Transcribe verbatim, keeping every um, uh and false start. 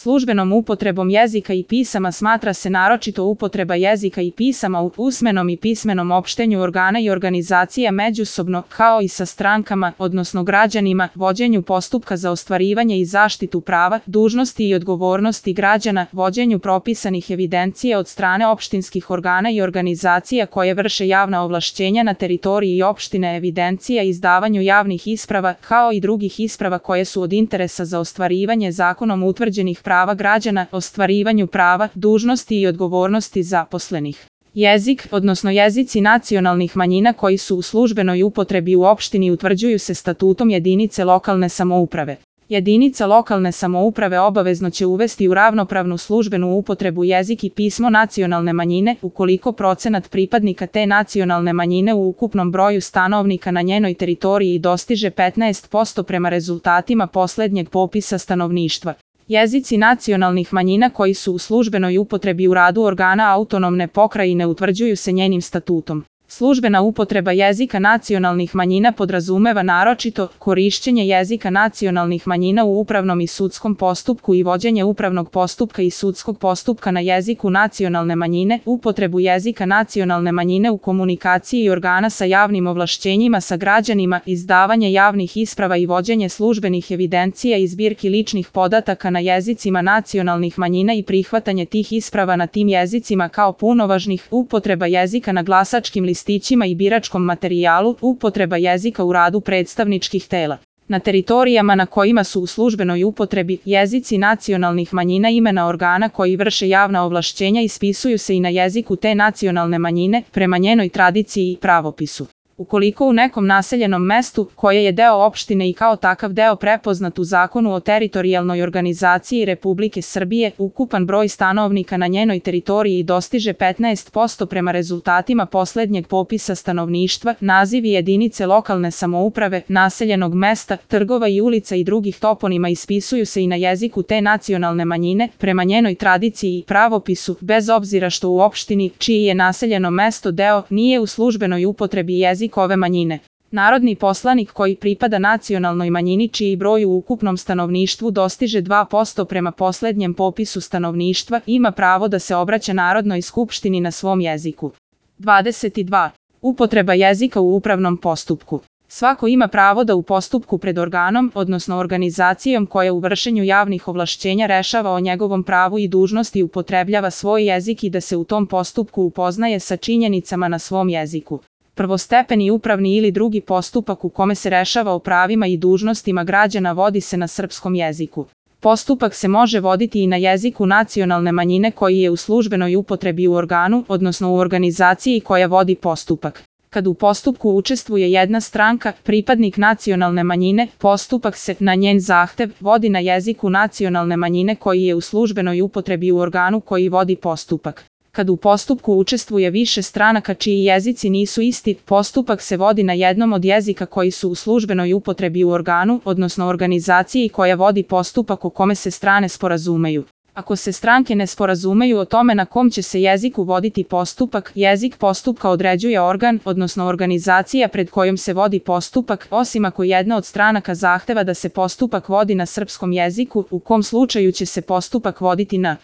Službenom upotrebom jezika i pisama smatra se naročito upotreba jezika i pisama u usmenom i pismenom opštenju organa i organizacija međusobno, kao i sa strankama, odnosno građanima, vođenju postupka za ostvarivanje i zaštitu prava, dužnosti i odgovornosti građana, vođenju propisanih evidencija od strane opštinskih organa i organizacija koje vrše javna ovlašćenja na teritoriji opštine, evidencija i izdavanju javnih isprava, kao i drugih isprava koje su od interesa za ostvarivanje zakonom utvrđenih prava građana, ostvarivanju prava, dužnosti i odgovornosti zaposlenih. Jezik, odnosno jezici nacionalnih manjina koji su u službenoj upotrebi u opštini utvrđuju se statutom jedinice lokalne samouprave. Jedinica lokalne samouprave obavezno će uvesti u ravnopravnu službenu upotrebu jezik i pismo nacionalne manjine, ukoliko procenat pripadnika te nacionalne manjine u ukupnom broju stanovnika na njenoj teritoriji dostiže petnaest posto prema rezultatima poslednjeg popisa stanovništva. Jezici nacionalnih manjina koji su u službenoj upotrebi u radu organa autonomne pokrajine utvrđuju se njenim statutom. Službena upotreba jezika nacionalnih manjina podrazumeva naročito korišćenje jezika nacionalnih manjina u upravnom i sudskom postupku i vođenje upravnog postupka i sudskog postupka na jeziku nacionalne manjine, upotrebu jezika nacionalne manjine u komunikaciji organa sa javnim ovlašćenjima sa građanima, izdavanje javnih isprava i vođenje službenih evidencija i zbirki ličnih podataka na jezicima nacionalnih manjina i prihvatanje tih isprava na tim jezicima kao punovažnih, upotreba jezika na glasačkim listićima i biračkom materijalu, upotreba jezika u radu predstavničkih tela. Na teritorijama na kojima su u službenoj upotrebi jezici nacionalnih manjina imena organa koji vrše javna ovlašćenja ispisuju se i na jeziku te nacionalne manjine, prema njenoj tradiciji i pravopisu. Ukoliko u nekom naseljenom mestu, koje je deo opštine i kao takav deo prepoznat u Zakonu o teritorijalnoj organizaciji Republike Srbije, ukupan broj stanovnika na njenoj teritoriji dostiže petnaest posto prema rezultatima poslednjeg popisa stanovništva, nazivi jedinice lokalne samouprave, naseljenog mesta, trgova i ulica i drugih toponima ispisuju se i na jeziku te nacionalne manjine, prema njenoj tradiciji i pravopisu, bez obzira što u opštini, čiji je naseljeno mesto deo, nije u službenoj upotrebi jezik ove manjine. Narodni poslanik koji pripada nacionalnoj manjini čiji broj u ukupnom stanovništvu dostiže dva posto prema poslednjem popisu stanovništva ima pravo da se obraća Narodnoj skupštini na svom jeziku. dvadeset dva. Upotreba jezika u upravnom postupku. Svako ima pravo da u postupku pred organom, odnosno organizacijom koja u vršenju javnih ovlašćenja rešava o njegovom pravu i dužnosti upotrebljava svoj jezik i da se u tom postupku upoznaje sa činjenicama na svom jeziku. Prvostepeni upravni ili drugi postupak u kome se rešava o pravima i dužnostima građana vodi se na srpskom jeziku. Postupak se može voditi i na jeziku nacionalne manjine koji je u službenoj upotrebi u organu, odnosno u organizaciji koja vodi postupak. Kad u postupku učestvuje jedna stranka, pripadnik nacionalne manjine, postupak se, na njen zahtev, vodi na jeziku nacionalne manjine koji je u službenoj upotrebi u organu koji vodi postupak. Kad u postupku učestvuje više stranaka čiji jezici nisu isti, postupak se vodi na jednom od jezika koji su u službenoj upotrebi u organu, odnosno organizaciji koja vodi postupak o kome se strane sporazumeju. Ako se stranke ne sporazumeju o tome na kom će se jeziku voditi postupak, jezik postupka određuje organ, odnosno organizacija pred kojom se vodi postupak, osim ako jedna od stranaka zahteva da se postupak vodi na srpskom jeziku, u kom slučaju će se postupak voditi na